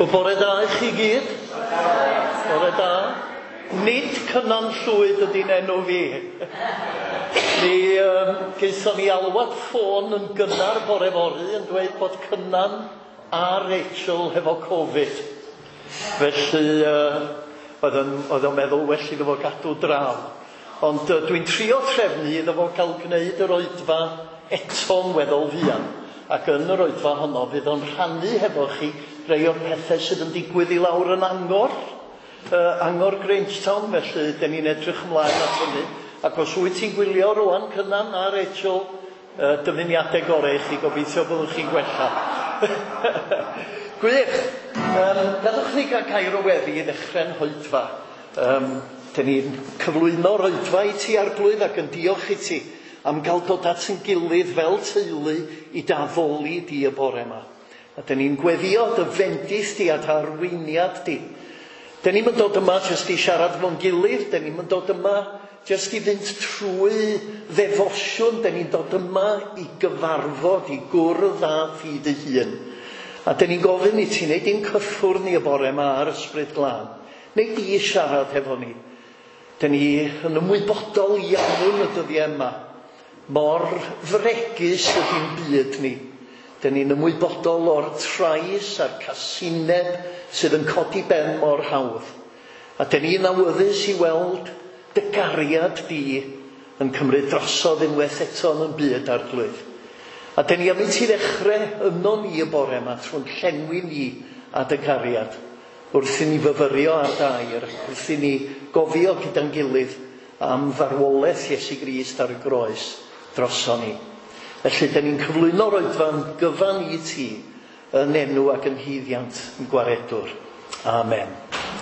Wel, bore da i chi gyd. Bore da. Nid Cynan Llwyd ydy'n enw fi. Mi gaethon ni alwad ffôn yn gynnar bore fory yn dweud bod Cynan a Rachel hefo Covid. Felly, oedd o'n meddwl well iddo fo gadw draw. Ond dwi'n trio trefnu iddo fo gael gwneud yr oedfa eto'n weddol fuan. Ac yn yr oedfa honno fydd o'n rhannu hefo chi rei o'r pethau sydd yn digwydd i lawr yn Angor, Angor Grangetown, felly dyn ni'n edrych ymlaen at hynny. Ac os wyt ti'n gwylio rwan, Cynan a Rachel, dymuniadau gorau i chi, gobeithio byddwch chi'n gwella. Gwych! Gadwch ni gael gair o weddi i ddechrau'n hoedfa. Dyn ni'n cyflwyno'r oedfa i ti, Arglwydd, ac yn diolch i ti am gael dod at yn gilydd fel teulu i d'addoli di y bore yma. A dyn ni'n gweddio dy fendith di a dy arweiniad di. Dyn ni'n dod yma jyst i siarad fo'n gilydd, dyn ni'n dod yma jyst i fynd trwy ddefosiwn, dyn ni'n dod yma i gyfarfod, i gwrdd â thi dy hun. A dyn ni'n gofyn i ti wneud i'n cyffwrdd ni y bore yma ar Ysbryd Glân. Wneud i siarad hefo ni. Dyn ni yn ymwybodol iawn y dyddiau yma. Mor fregus ydy'n byd ni. Dyn ni'n ymwybodol o'r trais a'r casineb sydd yn codi ben mor hawdd. A dyn ni'n awyddus i weld dy gariad di yn cymryd drosodd unwaith eto yn byd, Arglwydd. A dyn ni am i ti ddechrau yno ni y bore yma trwy'n llenwi ni a dy gariad. Wrth i ni fyfyrio ar dair, wrth i ni gofio gyda'n gilydd am farwolaeth Iesu Grist ar y groes droson ni. Felly, dyn ni'n cyflwyno'r oedfa'n gyfan i ti yn enw ac yn haeddiant yn gwaredwr. Amen.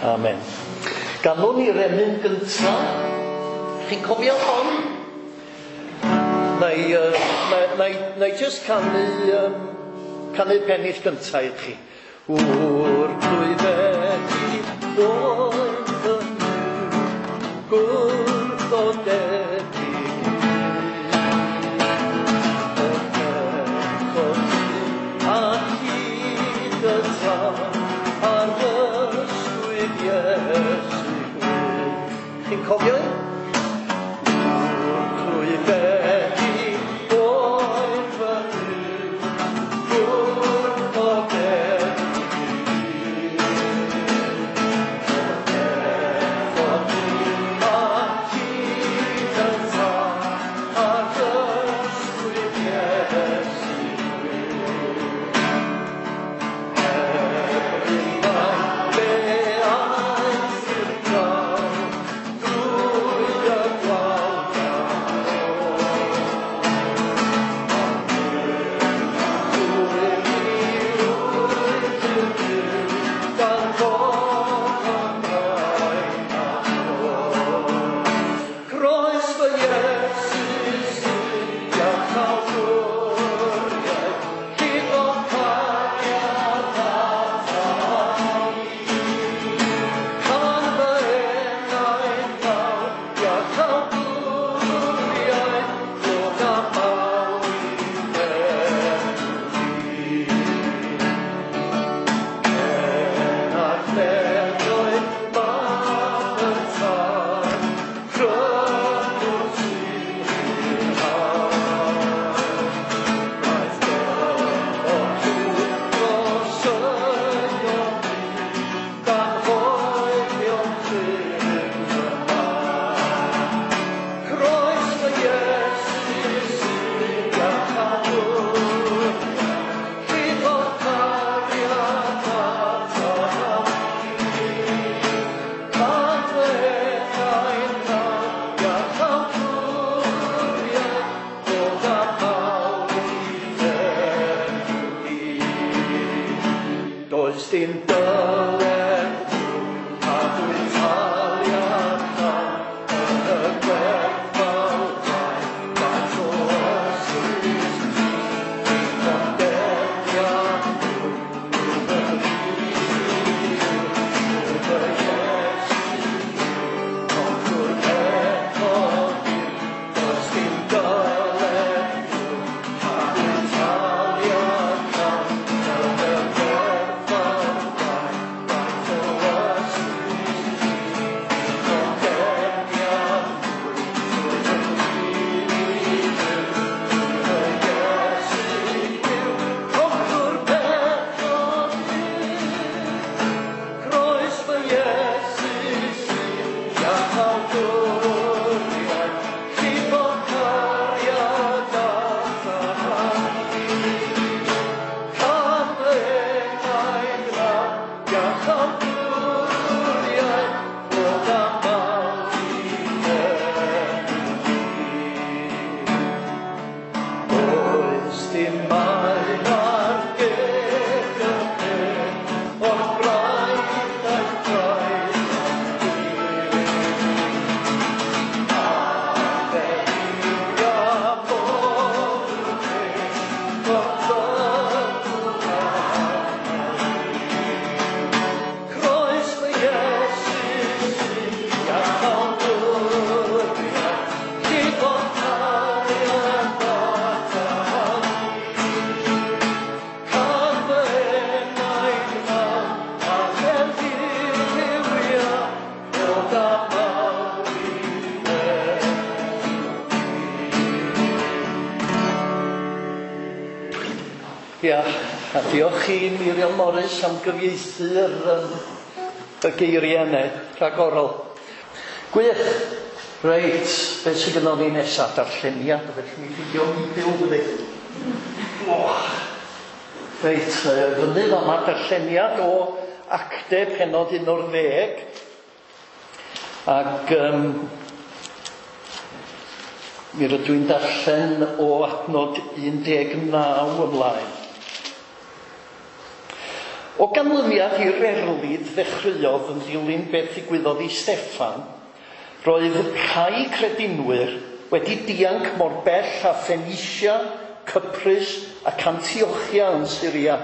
Amen. Ganwn ni'r emyn gyntaf. Chi'n cofio hon? Na i jyst canu pennill gyntaf i chi. Wr clwyfedi oedd fy gwrthodedig. A hyd y tân ar ysgwydd Iesu gwyn. Chi'n cofio un? Wr clwyfedi oedd fy gwrthodedig. A hyd y tân ar ysgwydd Iesu gwyn. Fe aeth i'r clawr drwy y gwawr gan fod ymlaen a Croes fy Iesu sydd iachawdwriaeth, llifodd cariad ata i. Can fy enaid nawr iachawdwriaeth, dod â mawl i enw di. Cenarth nefoedd mab y Tad, Crëwr sy'n rhyddhau. Wnaeth dyfod trwy dros y byd, gan hoelion cryf y maen. Croes fy Iesu sydd iachawdwriaeth, llifodd cariad ata i. Can fy enaid nawr iachawdwriaeth, dod â mawl i enw di. Does dim dyled a dwi'n taliad cam yn y gwerthfawr faint o ysbryd ti, dwi'n condemniad mwy yw fy hir, yw fy Iesu concwr pechod hir. Does dim dyled mwy a dwi'n taliad cam yn y gwerthfawr Ia, a diolch i Miriam Morris am gyfieithu'r y geiriau yna, rhagorol. Gwych. Reit, beth sydd gynnon ni nesaf? Darlleniad, felly mi fideo mi byw fyny. Oh. Reit, fyny fama darlleniad o Acte pennod 11. Ac mi rydw i'n darllen o adnod 19 ymlaen. O ganlyniad i'r erlid ddechreuodd yn dilyn beth ddigwyddodd i Steffan, roedd rhai credinwyr wedi dianc mor bell â Phoenicia, Cyprus ac Antiochia yn Syria.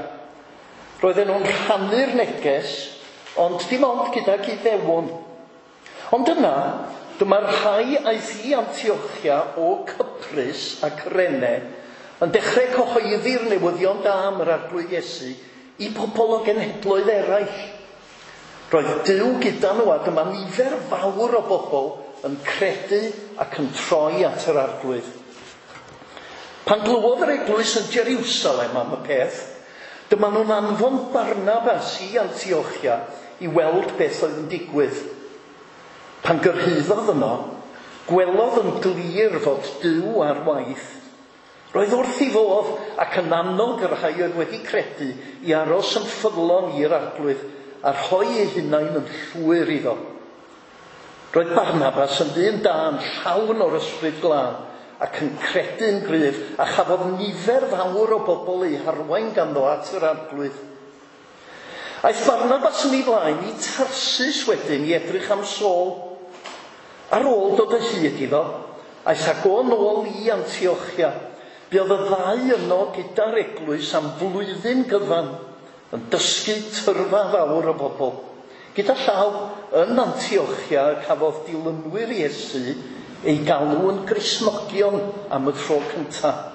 Roedden nhw'n rhannu'r neges, ond dim ond gydag Iddewon. Ond yna, dyma'r rhai aeth i Antiochia o Cyprus a Cyrene yn dechrau cyhoeddi'r newyddion da am yr Arglwydd Iesu i bobl o genhedloedd eraill. Roedd Duw gyda nhw a dyma nifer fawr o bobl yn credu ac yn troi at yr Arglwydd. Pan glywodd yr eglwys yn Jerusalem am y peth, dyma nhw'n anfon Barnabas i Antiochia i weld beth oedd yn digwydd. Pan gyrhaeddodd yno, gwelodd yn glir fod Duw ar waith. Roedd wrth ei fodd ac yn annog yr rhai oedd wedi credu i aros yn ffyddlon i'r Arglwydd a rhoi eu hunain yn llwyr iddo. Roedd Barnabas yn ddyn da, yn llawn o'r Ysbryd Glân ac yn credu'n gryf, a chafodd nifer fawr o bobl eu harwain ganddo at yr Arglwydd. Aeth Barnabas yn ei flaen i Tarsus wedyn i edrych am Saul. Ar ôl dod o hyd iddo, aeth ag o nôl i Antiochia. Buodd y ddau yno gyda'r eglwys am flwyddyn gyfan yn dysgu tyrfa fawr o bobl. Gyda llaw, yn Antiochia cafodd dilynwyr Iesu eu galw yn Gristnogion am y tro cyntaf.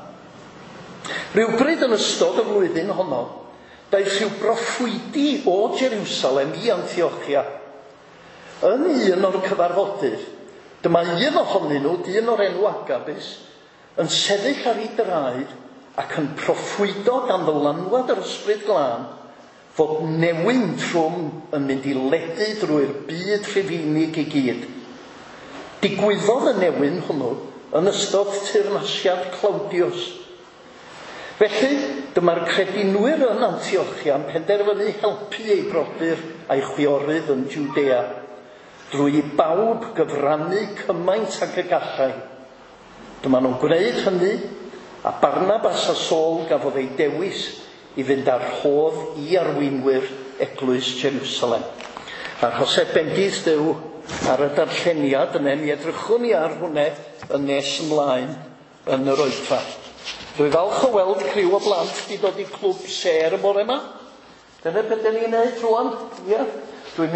Rhywbryd yn ystod y flwyddyn honno, daeth rhyw broffwydi o Jerusalem i Antiochia. Yn un o'r cyfarfodydd, dyma un ohonyn nhw, dyn o'r enw Agabus, yn sefyll ar ei draed ac yn proffwydo gan ddylanwad yr Ysbryd Glân fod newyn trwm yn mynd i ledu drwy'r byd Rhufeinig i gyd. Digwyddodd y newyn hwnnw yn ystod teyrnasiad Claudius. Felly, dyma'r credinwyr yn Antiochia yn penderfynu helpu eu brodyr a'i chwiorydd yn Jwdea, drwy i bawb gyfrannu cymaint ag y gallai. Dyma nhw'n gwneud hynny, a Barnabas a Saul gafodd eu dewis i fynd â'r rhodd i arweinwyr eglwys Jerusalem. A'r Josep bendith Duw ar y darlleniad yna, mi edrychwn ni ar hwnna yn nes ymlaen yn yr oedfa. Dwi falch o weld criw o blant wedi dod i clwb sêr y bore yma. Dyna beth 'dan ni'n neud rŵan. Ia. Dwi'n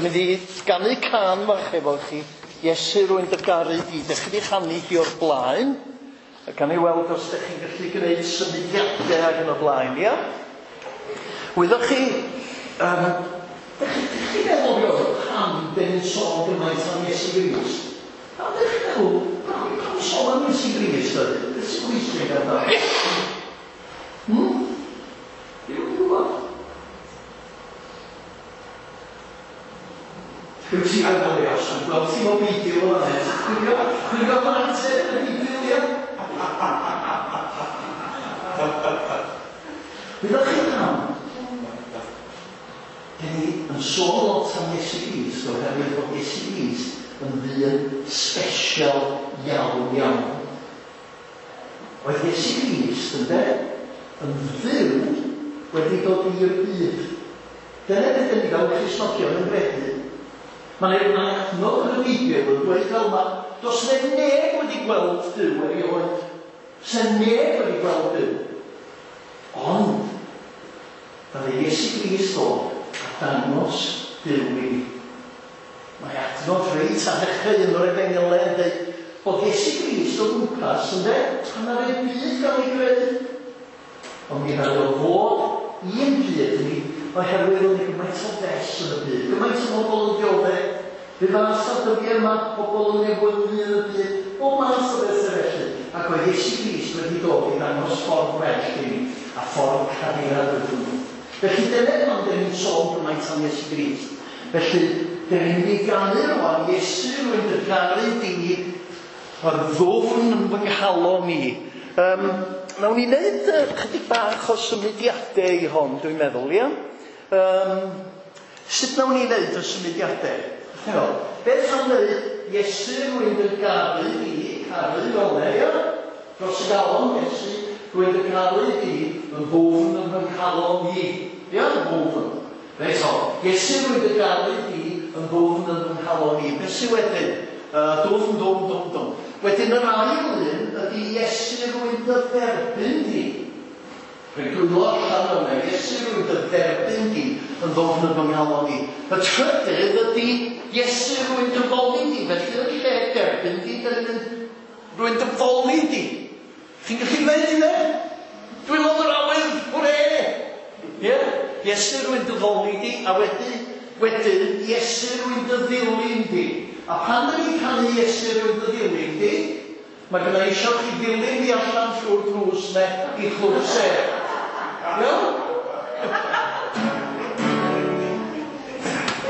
mynd i ganu cân fach efo chi. Iesu, rwy'n dy garu di. Dych chi wedi chanu hi o'r blaen. A gan i weld os ydych chi'n gallu gwneud symudiadau ag yn y blaen, ia? Wyddoch chi, dych chi'n meddwl rioed pam dyn ni'n sôn gymaint am Iesu Grist? Pam dych chi'n meddwl, pam sôn am Iesu Grist ydych? Beth sy'n bwysig amdano? Dwi'n gwybod. Wyt ti ar gael ei osod? Gweld ti o beidio o fan hyn. Chwilio am ateb yn y Beibl, ia? Wyddoch chi pam? Dyn ni yn sôn lot am Iesu Grist oherwydd bod Iesu Grist yn ddyn special iawn iawn. Oedd Iesu Grist, ynde, yn Dduw wedi dod i'r byd. Dyna beth dyn ni fel Cristnogion yn gredu. Mae adnod yn y Beibl yn dweud fel yma, does 'na neb wedi gweld Duw erioed. Does 'na neb wedi gweld Duw. Ond, ddaru Iesu Grist ddod a dangos Duw i ni. Mae adnod reit ar ddechrau un o'r Efengylau yn dweud bod Iesu Grist o gwmpas, ynde, pan ddaru'r byd gael ei greu. Ond mi ddaru o ddod i'n byd ni oherwydd oedd 'na gymaint o fess yn y byd, gymaint o bobl yn dioddef. Fe fath o dyddiau yma, pobl yn newynu yn y byd, bob math o bethau felly. Ac oedd Iesu Grist wedi dod i ddangos ffordd well i ni, a ffordd cariad oedd hwnnw. Felly dyna pam dyn ni'n sôn gymaint am Iesu Grist. Felly, dyn ni'n mynd i ganu rwan, Iesu, rwy'n dy garu di, mor ddwfn yn fy nghalon i. Nawn ni wneud chydig bach o symudiadau i hon, dwi'n meddwl, ia? Sut nawn ni wneud y symudiadau? Chi'n beth am wneud Iesu, rwy'n dy garu di, caru fel 'na, ia? Dros y galon, Iesu, rwy'n dy garu di, yn ddwfn yn fy nghalon i. Ia, yn ddwfn. Reit o, Iesu, rwy'n dy garu di, yn ddwfn yn fy nghalon i. Beth sydd wedyn? Dwfn, dwfn, dwfn, dwfn. Wedyn yr ail un ydy Iesu, rwy'n dy dderbyn di. Rhoi dwylo allan yna, Iesu, rwy'n dy dderbyn di yn ddwfn yn fy nghalon i. Y trydydd ydy Iesu, rwy'n dy foli di. Felly yn lle derbyn di, dyn ni'n mynd, rwy'n dy foli di. Chi'n gallu gwneud hynna? Dwylo yn yr awyr, hwre! Ie? Iesu, rwy'n dy foli di, a wedyn, Iesu, rwy'n dy ddilyn di. A pan dyn ni'n canu Iesu, rwy'n dy ddilyn di, mae gynna i eisiau chi ddilyn fi allan trwy'r drws ne i Clwb Sêr. Iawn?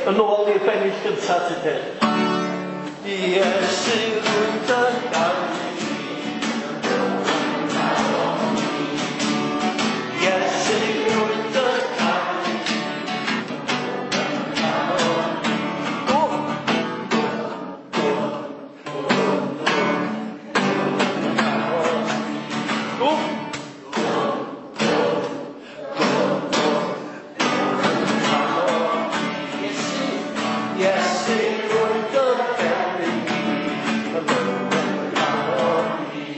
Yn ôl i'r bennill gyntaf, ti'n dweud. Iesu, rwy'n dy garu di, yn ddwfn yn nghalon i. Iesu, rwy'n dy garu di, yn ddwfn yn nghalon i. Dwfn, dwfn, dwfn, dwfn, dwfn yn nghalon i. Dwfn, dwfn, dwfn, dwfn, dwfn yn nghalon i. Iesu, Iesu, rwy'n dy dderbyn di, yn ddwfn yn nghalon i.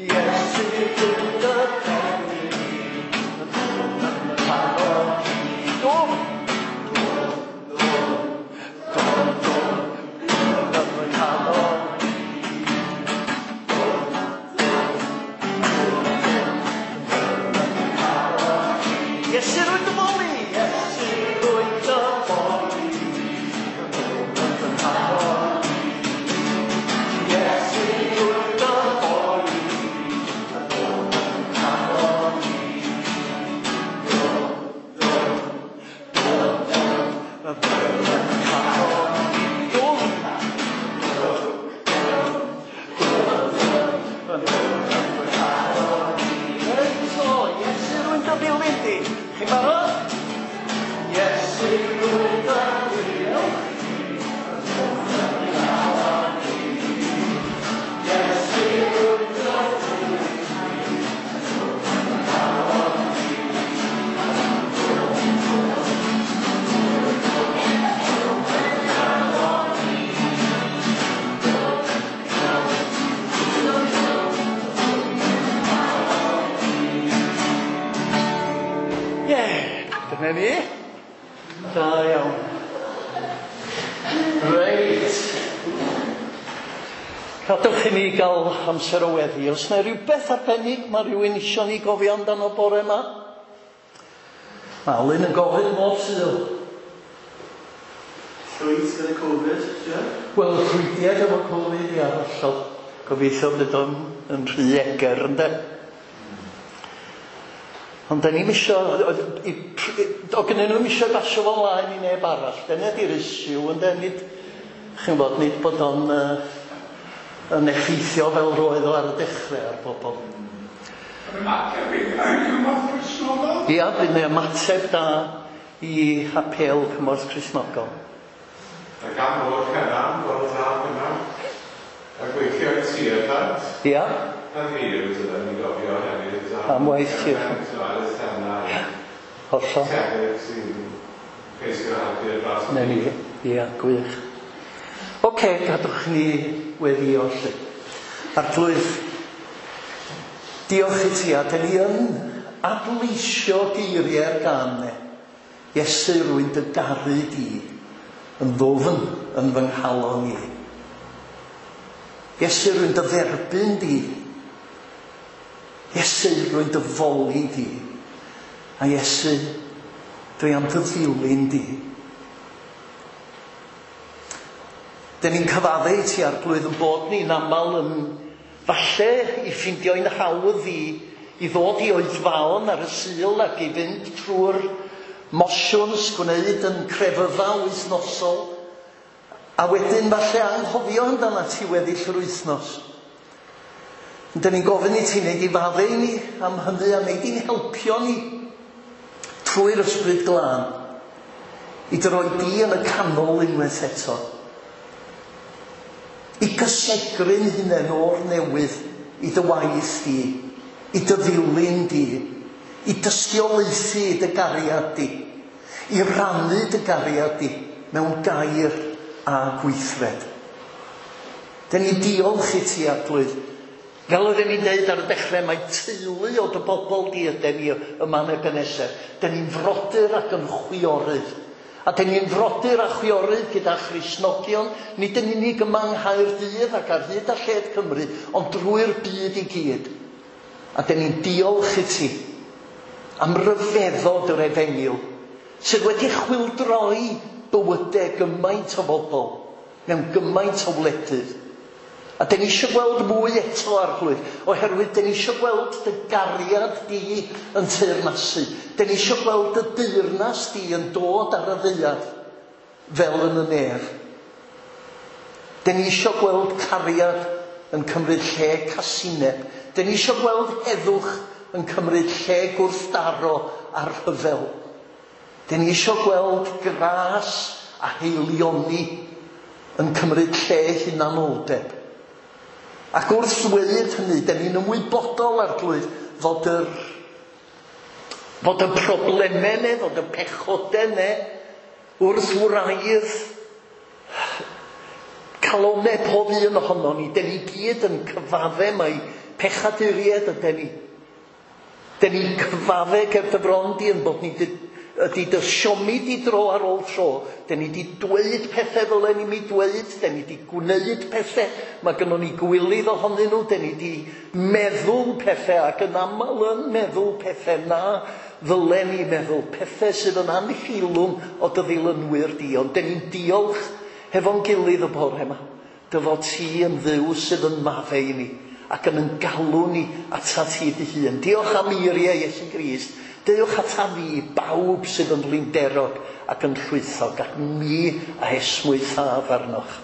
Iesu, rwy'n dy dderbyn di, yn ddwfn yn nghalon i. Dwfn, dwfn, dwfn, dwfn, dwfn, dwfn yn nghalon i. Dwfn, dwfn, dwfn, dwfn yn nghalon i. Iesu, rwy'n dy foli, Iesu, rwy'n dy foli, yn ddwfn yn fy nghalon i. Iesu, rwy'n dy foli, yn ddwfn yn fy nghalon i. Dwfn, dwfn, dwfn, dwfn, yn ddwfn yn fy nghalon i. Dwfn, dwfn, dwfn, dwfn, dwfn, yn ddwfn yn fy nghalon i. Reit o, Iesu, rwy'n dy ddilyn di. Chi'n barod? Iesu, rwy'n dy ddilyn di. Yn ddwfn yn fy nghalon i. Iesu, rwy'n dy ddilyn di. Yn ddwfn yn fy nghalon i. Dwfn, dwfn, dwfn, dwfn yn fy nghalon i. Dwfn, dwfn, dwfn, dwfn yn fy nghalon i. Ie, dyna ni. Da iawn. Reit. Gadewch i ni gael amser o weddi. Os yna rhywbeth arbennig mae rhywun isio ni gofio amdano bore yma? Mae Alun yn gofyn bob Sul. Llwyd gyda Covid, ie? Wel, llwydiad efo Covid, ia, hollol. Gobeithio fydd o'n yn rhy eger, ynde? Ond da ni'm isio, o gynnyn nhw'm isio basio fo mlaen i neb arall. Dyna di'r issue, ynde? Nid, chi'n gwbod, nid bod o'n yn effeithio fel roedd o ar y dechrau ar bobl. Yr ymateb i Cymorth Cristnogol? Ia, bydd yna ymateb da i apêl Cymorth Cristnogol. A gan o'r Cynan, bore da Cynan. A gweithio i Tearfund. Ia. A fi yw dylen ni gofio hefyd. Am waith Tearfund. Hollol. Tebyg sy'n ceisio helpu'r dras. Na ni, ia, gwych. Oce, gadwch ni weddio lle. Arglwydd, diolch i ti, a dyn ni yn adleisio geiriau'r gân 'ne. Iesu, rwy'n dy garu di, yn ddwfn yn fy nghalon i. Iesu, rwy'n dy dderbyn di. Iesu, rwy'n dy foli di. A Iesu, dwi am dy ddilyn di. Dyn ni'n cyfadde i ti, Arglwydd, yn bod ni'n aml yn Falle i ffeindio'n hawdd i ddod i oedfaon ar y Sul ac i fynd trwy'r motions, gwneud yn crefydda wythnosol, a wedyn falle anghofio amdana ti weddill yr wythnos. Dyn ni'n gofyn i ti wneud i faddau i ni am hynny a wneud i'n helpio ni trwy'r Ysbryd Glân i dy roi di yn y canol unwaith eto. I gysegru'n hunain o'r newydd i dy waith di, i dy ddilyn di, i dystiolaethu i dy gariad di, i rannu dy gariad di mewn gair a gweithred. Dyn ni diolch i ti, Arglwydd. Fel oedden ni'n deud ar y dechrau, mae teulu o dy bobl di yden ni yma yn Ebenezer. Dyn ni'n frodyr ac yn chwiorydd. A dyn ni'n frodyr a chwiorydd gyda Christnogion, nid yn unig yma yng Nghaerdydd ac ar hyd a lled Cymru, ond drwy'r byd i gyd. A dyn ni'n diolch i ti am ryfeddod yr efengyl, sydd wedi chwyldroi bywydau gymaint o bobl mewn gymaint o wledydd. A dyn ni eisiau gweld mwy eto, Arglwydd, oherwydd dyn ni eisiau gweld dy gariad di yn teyrnasu. Dyn ni eisiau gweld dy deyrnas di yn dod ar y ddaear fel yn y nef. Dyn ni eisiau gweld cariad yn cymryd lle casineb. Dyn ni eisiau gweld heddwch yn cymryd lle gwrthdaro a rhyfel. Dyn ni eisiau gweld gras a heilioni yn cymryd lle hunanoldeb. Ac wrth ddweud hynny, dyn ni'n ymwybodol, Arglwydd, fod y problemau ne, fod y pechodau ne, wrth wraidd calonau pob un ohono ni. Dyn ni gyd yn cyfadde mai pechaduriaid ydyn ni. Dyn ni'n cyfadde ger dy fron di yn bod ni ydy dy siomi di dro ar ôl tro. Dyn ni di dweud pethau ddylen ni mi dweud, dyn ni di gwneud pethau, mae gynnon ni gwilydd ohonyn nhw, dyn ni di meddwl pethau ac yn aml yn meddwl pethau na ddylen ni meddwl, pethau sydd yn anheilwng o dy ddilynwyr di. Ond dyn ni'n diolch hefo'n gilydd y bore yma, dy fod ti yn Dduw sydd yn maddau i ni ac yn galw ni atat ti dy hun. Diolch am eiriau Iesu Grist. Dewch ata fi, bawb sydd yn flinderog ac yn llwythog, ac mi a esmwythaf arnoch.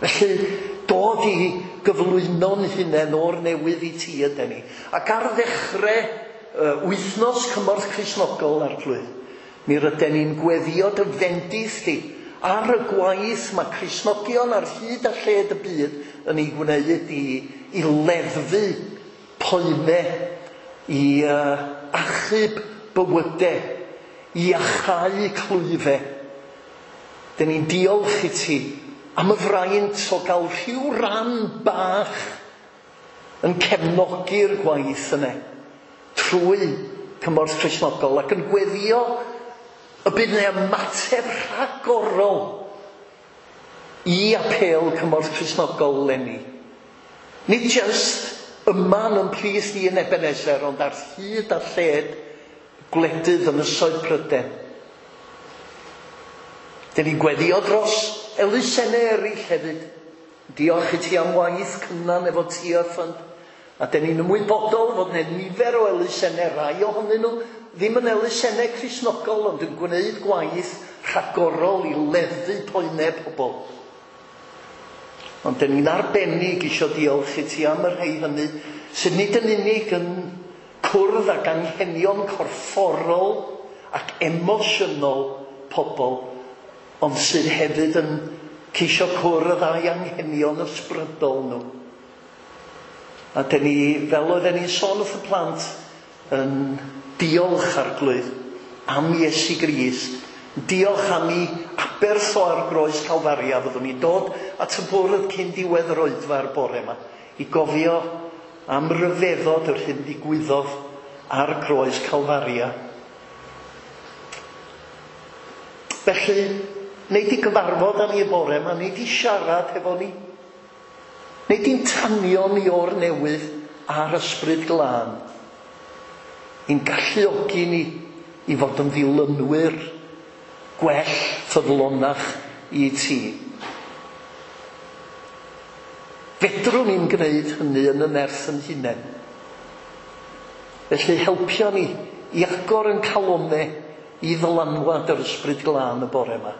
Felly, dod i gyflwyno'n hunain o'r newydd i ti ydyn ni. Ac ar ddechrau wythnos Cymorth Cristnogol, Arglwydd, mi rydyn ni'n gweddio dy fendith di ar y gwaith mae Cristnogion ar hyd a lled y byd yn ei gwneud i leddfu poenau, i achub bywydau, i iachau clwyfau. Dyn ni'n diolch i ti am y fraint o gael rhyw ran bach yn cefnogi'r gwaith yna trwy Cymorth Cristnogol ac yn gweddio y bydd yna ymateb rhagorol i apêl Cymorth Cristnogol eleni. Nid jyst yma yn plith ni yn Ebenezer, ond ar hyd a lled gwledydd ynysoedd Prydain. Dyn ni'n gweddio dros elusennau eraill hefyd. Diolch i ti am waith Cynan efo Tearfund. A dyn ni'n ymwybodol fod yna nifer o elusennau, rai ohonyn nhw ddim yn elusennau Cristnogol, ond yn gwneud gwaith rhagorol i leddfu poenau pobl. Ond dyn ni'n arbennig eisiau diolch i ti am y rhai hynny sydd nid yn unig yn cwrdd ag anghenion corfforol ac emosiynol pobl, ond sydd hefyd yn ceisio cwrdd â'i anghenion ysbrydol nhw. A dyn ni, fel oedden ni'n sôn wrth y plant, yn diolch Arglwydd am Iesu Grist. Diolch am ei aberth o ar groes Calfaria. Fyddwn ni'n dod at y bwrdd cyn diwedd yr oedfa'r bore yma i gofio am ryfeddod yr hyn ddigwyddodd ar groes Calfaria. Felly, wneud i gyfarfod â ni y bore yma, wneud i siarad hefo ni, wneud i'n tanio ni o'r newydd a'r Ysbryd Glân, i'n galluogi ni i fod yn ddilynwyr gwell ffyddlonach i ti. Fedra Fedrwn ni'n gwneud hynny yn y nerth yn hunain. Felly helpio ni i agor yn calonau i ddylanwad yr Ysbryd Glân y bore yma.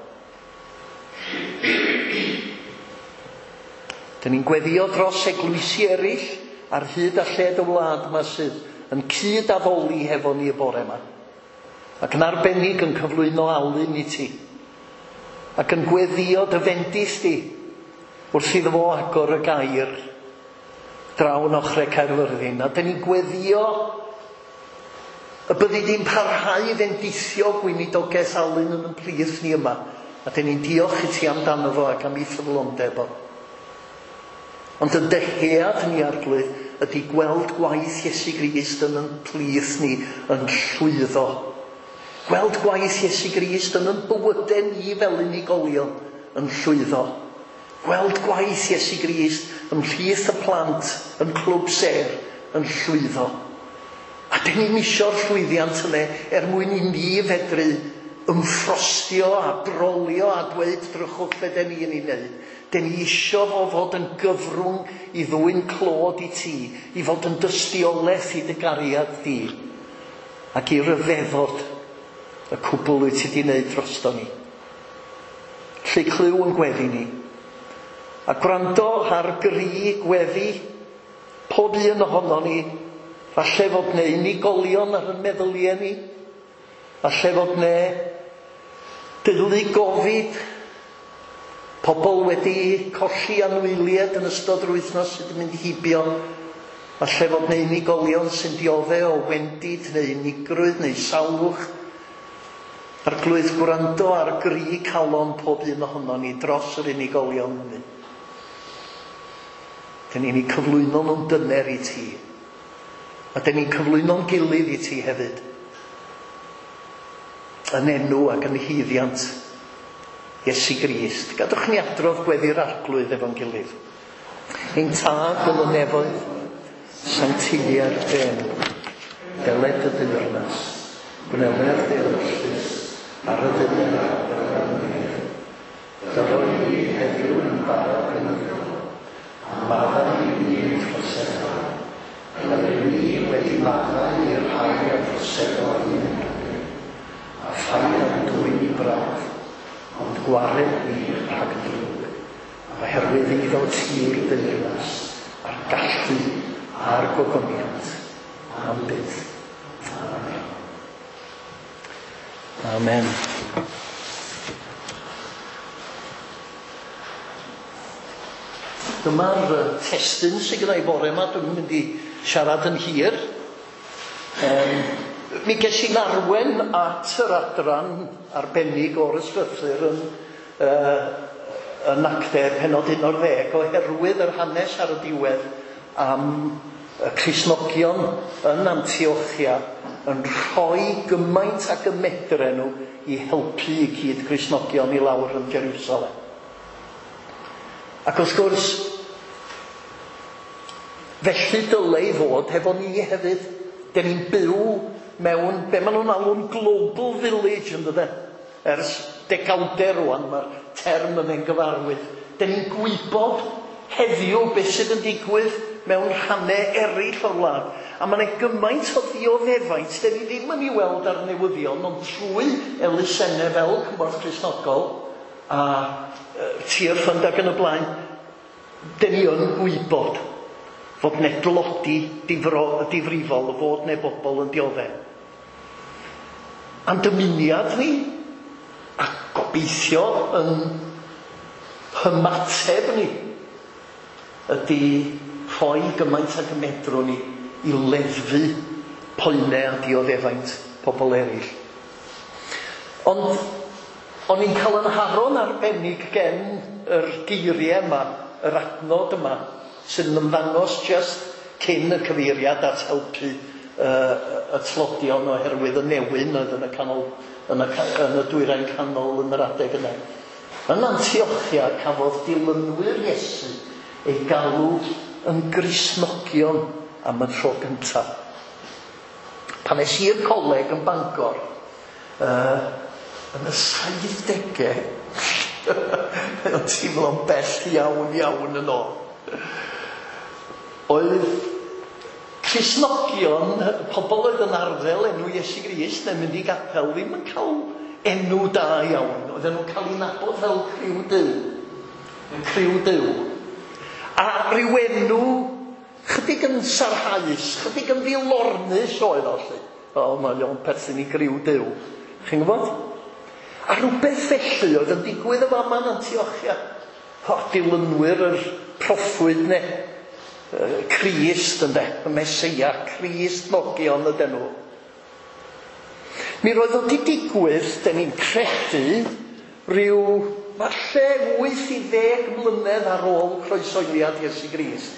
Dyn ni'n gweddio dros eglwysi eraill ar hyd a lled y wlad yma sydd yn cyd-addoli hefo ni y bore yma. Ac yn arbennig yn cyflwyno Alun i ti. Ac yn gweddio dy fendith di wrth iddo fo agor y gair draw yn ochrau Caerfyrddin. A dyn ni'n gweddio y byddi di'n parhau i fendithio gweinidogaeth Alun yn ein plith ni yma. A dyn ni'n diolch i ti amdano fo ac am ei ffyddlondeb o. Ond yn dyhead ni, Arglwydd, ydy gweld gwaith Iesu Grist yn ein plith ni yn llwyddo. Gweld gwaith Iesu Grist yn ein bywydau ni fel unigolion yn llwyddo. Gweld gwaith Iesu Grist ymhlith y plant yn Clwb Sêr yn llwyddo. A dyn ni'n isio'r llwyddiant yna er mwyn i ni fedru ymffrostio a brolio a dweud drychwch be dyn ni'n ei wneud. Dyn ni isio fo fod yn gyfrwng i ddwyn clod i ti, i fod yn dystiolaeth i dy gariad di, ac i ryfeddod y cwbl wyt ti wedi wneud drosto ni. Lle clyw yn gweddi ni. A gwrando ar gri gweddi pob un ohono ni, falle fod 'na unigolion ar y meddyliau ni, falle fod 'na deulu gofid, pobl wedi colli anwyliaid yn ystod yr wythnos sydd wedi mynd heibio, falle fod 'na unigolion sy'n diodde o wendid neu unigrwydd neu salwch. Arglwydd, gwrando ar gri calon pob un ohono ni dros yr unigolion hynny. Dyn ni'n eu cyflwyno nhw'n dyner i ti. A dyn ni'n cyflwyno'n gilydd i ti hefyd. Yn enw ac yn haeddiant Iesu Grist. Gadwch ni adrodd gweddi'r Arglwydd efo'n gilydd. Ein Tad yn y nefoedd, sancteiddier dy enw. Deled dy deyrnas, gwneler dy ewyllys ar y ddaear fel yn y nef. Dyro i ni heddiw ein bara beunyddiol, a maddau i ni ein troseddau, fel yr ŷm ni wedi maddau i'r rhai a droseddo yn ein erbyn. A phaid â'n dwyn i brawf, ond gwared ni rhag y drwg, oherwydd eiddo ti yw'r deyrnas, a'r gallu, a'r gogoniant, am byth. Amen. Amen. Dyma'r testun sydd gyda i bore yma. Dwi'n mynd i siarad yn hir. Mi ges i'n arwen at yr adran arbennig o'r ysgrythur yn Actau pennod 11 oherwydd yr hanes ar y diwedd am y Cristnogion yn Antiochia yn rhoi gymaint ag y medren nhw i helpu i cyd Cristnogion i lawr yn Jerusalem. Ac wrth gwrs, felly dyle i fod hefo ni hefyd. Dyn ni'n byw mewn, be maen nhw'n alw'n global village, yn dydyn? Ers degawdau rwan, mae'r term yn ein gyfarwydd. Dyn ni'n gwybod heddiw beth sydd yn digwydd mewn rhannau eraill o'r wlad. A mae yna gymaint o ddioddefaint, dyn ni ddim yn ei weld ar newyddion, ond trwy elusennau fel Cymorth Cristnogol a Tearfund ac yn y blaen, dyn ni yn gwybod fod 'na dlodi difrifol, fod 'na bobl yn dioddef. A'n dymuniad ni, a gobeithio yn hymateb ni, ydy rhoi gymaint ag y medrwn ni i leddfu poenau a dioddefaint pobl eraill. Ond o'n i'n cael yn haro'n arbennig gen yr geiriau yma, yr adnod yma, sydd yn ymddangos just cyn y cyfeiriad at helpu y tlodion oherwydd y newyn oedd yn y canol, yn y dwyrain canol yn yr adeg yna. Yn Antiochia cafodd dilynwyr Iesu ei galw yn Gristnogion am y tro gyntaf. Pan es i'r coleg yn Bangor, yn y 70au, mae'n teimlo'n bell iawn iawn yn ôl. Oedd Cristnogion, pobl oedd yn arddel enw Iesu Grist neu'n mynd i gapel, ddim yn cael enw da iawn. Oedden nhw'n cael eu nabod fel criw Duw. Criw Duw. A rhyw enw chydig yn sarhaus, chydig yn ddilornus oedd o, lly. O, mae o'n perthyn i griw Duw. Chi'n gwybod? A rhywbeth felly oedd yn digwydd y fama yn Antiochia. O, dilynwyr yr proffwyd ne. Crist, ynde, y Meseia, Cristnogion ydyn nhw. Mi roedd o 'di digwydd, 'den ni'n credu, rhyw falle 8 i 10 mlynedd ar ôl croesoeliad Iesu Grist.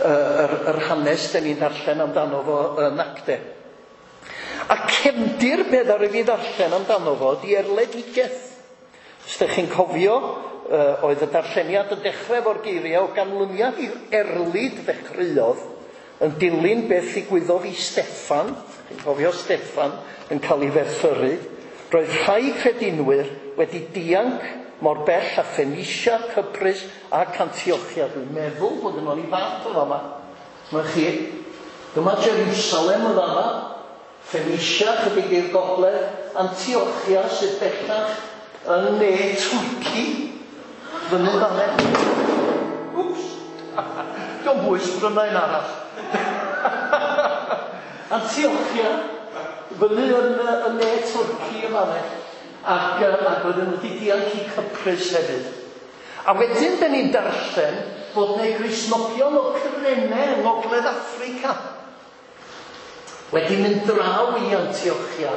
Yr hanes 'den ni'n darllen amdano fo yn Acte. A cefndir be ddaru fi ddarllen amdano fo ydi erledigaeth. Os ydych chi'n cofio, oedd y darlleniad yn dechrau efo'r geiriau o ganlyniad i'r erlid ddechreuodd yn dilyn beth ddigwyddodd i Steffan. Chi'n cofio Steffan yn cael ei ferthyru. Roedd rhai credinwyr wedi dianc mor bell â Phoenicia, Cyprus ac Antiochia. Dwi'n meddwl bod yno ni fap o fama. Dyma chi. Dyma Jerusalem yn fama. Phoenicia, chydig i'r gogledd. Antiochia sydd bellach yn ne Twrci. Fyny fan'na. Wps! Dio'm bwys, bryna un arall. Antiochia, fyny yn ne Twrci yn fan'na. Ac oedden nhw wedi dianc i Cyprus hefyd. A wedyn 'den ni'n darllen fod 'na Gristnogion o Cyrene yng Ngogledd Affrica wedi mynd draw i Antiochia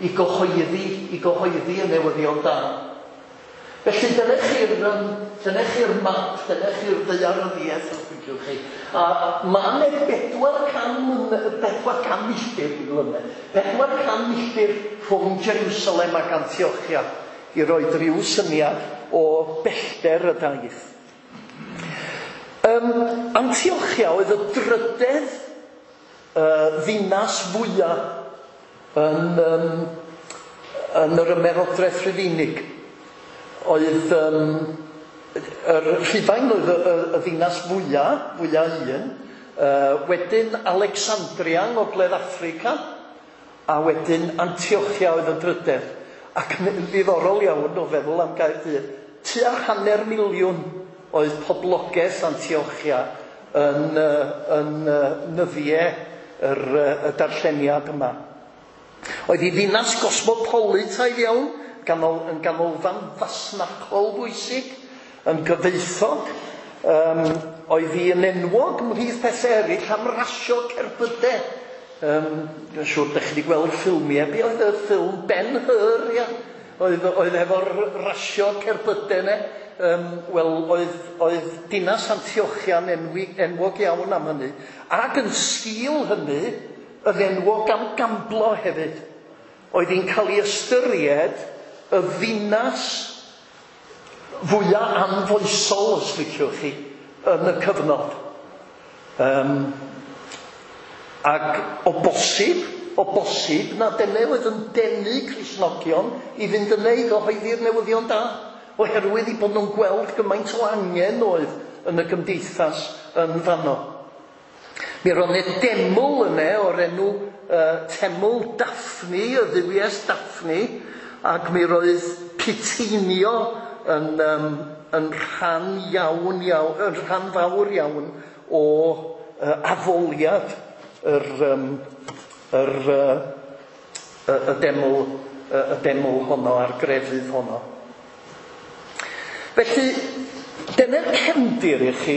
i gyhoeddi y newyddion da. Felly dyna chi'r map, dyna chi'r ddaearyddiaeth, os liciwch chi. A ma' 'na 400 milltir, dwi'n gwybod, 400 milltir rhwng Jerusalem ac Antiochia i roi rhyw syniad o bellter y daith. Antiochia oedd y drydedd ddinas fwyaf yn yr Ymerodraeth Rufeinig. Oedd yr Rhufain oedd y ddinas fwyaf un, wedyn Alexandria yng Ngogledd Affrica, a wedyn Antiochia oedd y drydedd. Ac ddiddorol iawn o feddwl am Gaerdydd, tua 500,000 oedd poblogaeth Antiochia yn nyddiau y darlleniad yma. Oedd hi ddinas gosmopolitaidd iawn, yn ganolfan fasnachol bwysig, yn gyfoethog. Oedd hi yn enwog ymhlith pethau eraill am rasio cerbydau. Dwi'n siŵr ydych chi wedi gweld ffilmiau. Be oedd y ffilm Ben Hur, ia? Oedd efo'r rasio cerbydau yna. Wel, oedd dinas Antiochia'n enwog iawn am hynny. Ac yn sgil hynny, yn enwog am gamblo hefyd. Oedd hi'n cael ei ystyried y ddinas fwyaf anfoesol, os liciwch chi, yn y cyfnod. Ac o bosib na dyna oedd yn denu Cristnogion i fynd yna i gyhoeddi'r newyddion da, oherwydd i bod nhw'n gweld gymaint o angen oedd yn y gymdeithas yn fanno. Mi roedd 'na deml yna o'r enw Teml Daphne, y dduwies Daphne, ac mi roedd puteinio yn rhan iawn, yn rhan fawr iawn o addoliad y deml honno a'r grefydd honno. Felly, dyna'r cefndir i chi.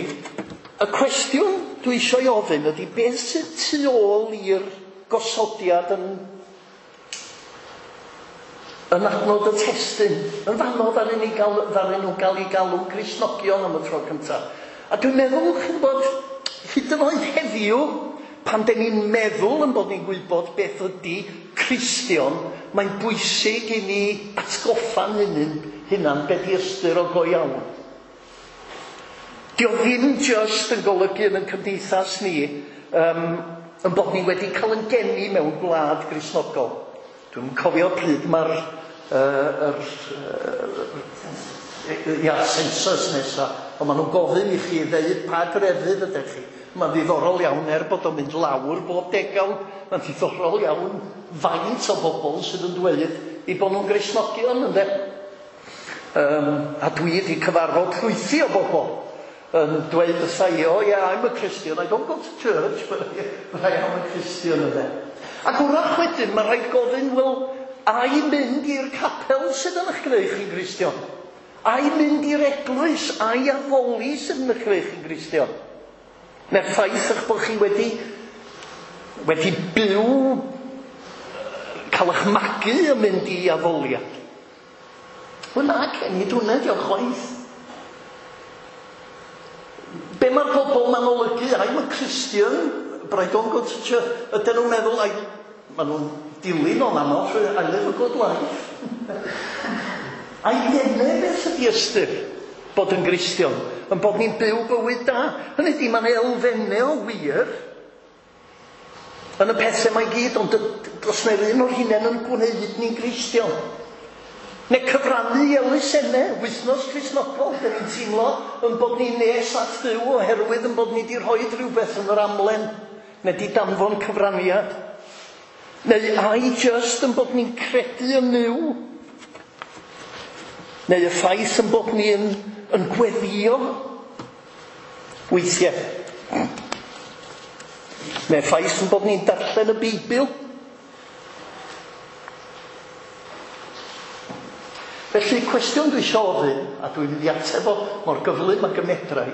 Y cwestiwn dwi eisiau ofyn ydy beth sydd tu ôl i'r gosodiad yn adnod y testun. Yn fanno ddaru nhw gael eu galw'n Gristnogion am y tro cyntaf. A dwi'n meddwl, chi'n gwybod, hyd yn oed heddiw, pan den ni'n meddwl yn bod ni'n gwybod beth ydy Cristion, mae'n bwysig i ni atgoffa'n hunan beth i ystyr o go iawn. Dio ddim just yn golygu yn cymdeithas ni yn bod ni wedi cael yn geni mewn gwlad Gristnogol. Dwi'n cofio pryd mae'r census nesaf, ond maen nhw'n gofyn i chi ddeud pa grefydd ydych chi. Mae'n ddiddorol iawn, er bod o'n mynd lawr bob degawd, mae'n ddiddorol iawn faint o bobl sydd yn dweud eu bod nhw'n Gristnogion, ynde? A dwi wedi cyfarfod llwythi o bobl yn dweud wrtha i, "Oh yeah, I'm a Christian, I don't go to church, but I am a Christian," ynde? Ac wrach wedyn, mae rhaid gofyn, wel, ai mynd i'r capel sydd yn eich gwneud chi'n Gristion? Ai mynd i'r eglwys, ai addoli sydd yn eich gwneud chi'n Gristion? Neu'r ffaith eich bod chi wedi byw, cael eich magu yn mynd i addoliad? Wel na, nid hwnna 'di o chwaith. Be mae'r bobl ma'n olygu? "I'm a Christian, but I don't go to church." Ydyn nhw'n meddwl, maen nhw'n dilyn o'n aml trwy "I live a good life"? Ai dyna beth ydy ystyr bod yn Gristion? Yn bod ni'n byw bywyd da? Hynny ydy, mae'n elfennau o wir yn y pethau mae gyd, ond does na'r un o'r hunain yn gwneud ni'n Gristion. Neu cyfrannu i elusennau, Wythnos Cristnogol, dyn ni'n teimlo yn bod ni'n nes at Dduw oherwydd yn bod ni wedi rhoi rhywbeth yn yr amlen, neu di danfon cyfraniad. Neu ai just yn bod ni'n credu yn Nuw? Neu y ffaith yn bod ni'n yn gweddio weithiau? Neu'r ffaith yn bod ni'n darllen y Beibl? Felly, cwestiwn dwi eisiau ofyn, a dwi'n mynd i ateb o mor gyflym ag y medra i,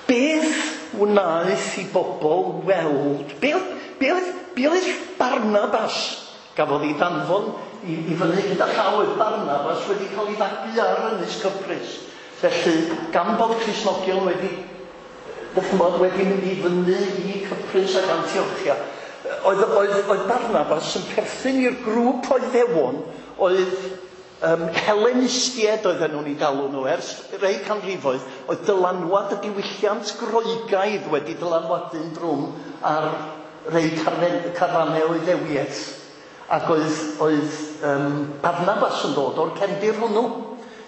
beth wnaeth i bobl weld? Be oedd Barnabas gafodd ei danfon i fyny gyda llaw? Oedd Barnabas wedi cael ei fagu ar Ynys Cyprus. Felly, gan bod Cristnogion wedi mynd i fyny i Cyprus ac Antiochia, oedd Barnabas yn perthyn i'r grŵp o Iddewon oedd Hellenistiaid oedden nhw'n ei galw nhw ers rei canrifoedd, oedd dylanwad y diwylliant Groegaidd wedi dylanwadu'n drwm ar rei carfannau o Iddewiaeth. Ac oedd Barnabas yn dod o'r cefndir hwnnw.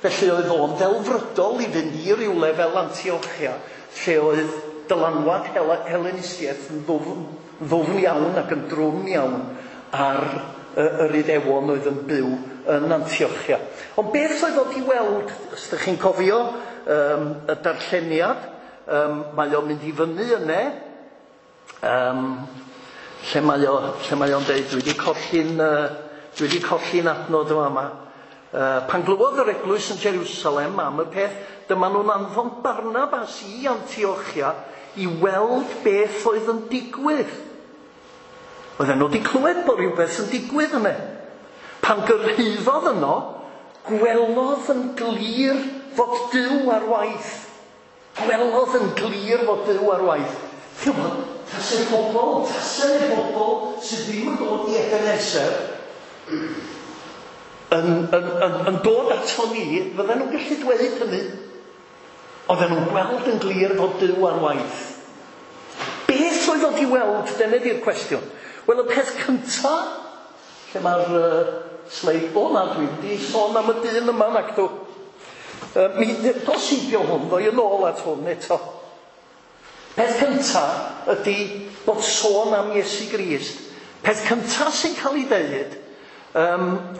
Felly oedd o'n ddelfrydol i fynd i rywle fel Antiochia, lle oedd dylanwad Hellenistiaeth yn ddwfn iawn ac yn drwm iawn ar yr Iddewon oedd yn byw yn Antiochia. Ond beth oedd o di weld, os ydych chi'n cofio y darlleniad, mae o'n mynd i fyny yne, lle mae o'n deud, dwi wedi colli'n adnod yma. Pan glywodd yr eglwys yn Jerusalem am y peth, dyma nhw'n anfon Barnabas i Antiochia i weld beth oedd yn digwydd. Oedden nhw wedi clywed bod rhywbeth yn digwydd yna. Pan gyrhaeddodd yno, gwelodd yn glir fod Duw ar waith. Gwelodd yn glir fod Duw ar waith. Tasai'r bobl sydd ddim yn dod i Ebenezer yn dod ato ni, fydden nhw'n gallu dweud hynny. Oedden nhw'n gweld yn glir fod Duw ar waith. Beth oedd o di weld? Dyna di'r cwestiwn. Wel, y peth cyntaf, lle mae'r sleid o na, dwi wedi sôn am y dyn yma nag dw. Mi dos heibio hwn, ddoi yn ôl at hwn eto. Peth cyntaf ydy bod sôn am Iesu Grist. Peth cyntaf sy'n cael ei ddeud,